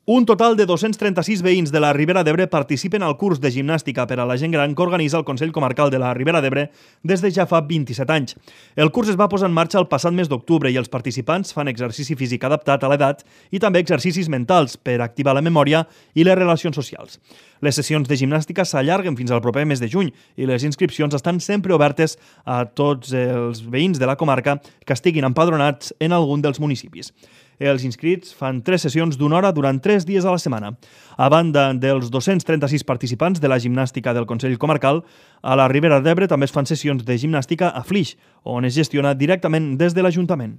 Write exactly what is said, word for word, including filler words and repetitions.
Un total de dos-cents trenta-sis veïns de la Ribera d'Ebre participen al curs de gimnàstica per a la gent gran que organitza el Consell Comarcal de la Ribera d'Ebre des de ja fa vint-i-set anys. El curs es va posar en marxa el passat mes d'octubre i els participants fan exercici físic adaptat a l'edat i també exercicis mentals per activar la memòria i les relacions socials. Les sessions de gimnàstica s'allarguen fins al proper mes de juny i les inscripcions estan sempre obertes a tots els veïns de la comarca que estiguin empadronats en algun dels municipis. Els inscrits fan tres sessions d'una hora durant tres dies a la setmana. A banda dels dos-cents trenta-sis participants de la gimnàstica del Consell Comarcal, a la Ribera d'Ebre també es fan sessions de gimnàstica a Flix, on es gestiona directament des de l'Ajuntament.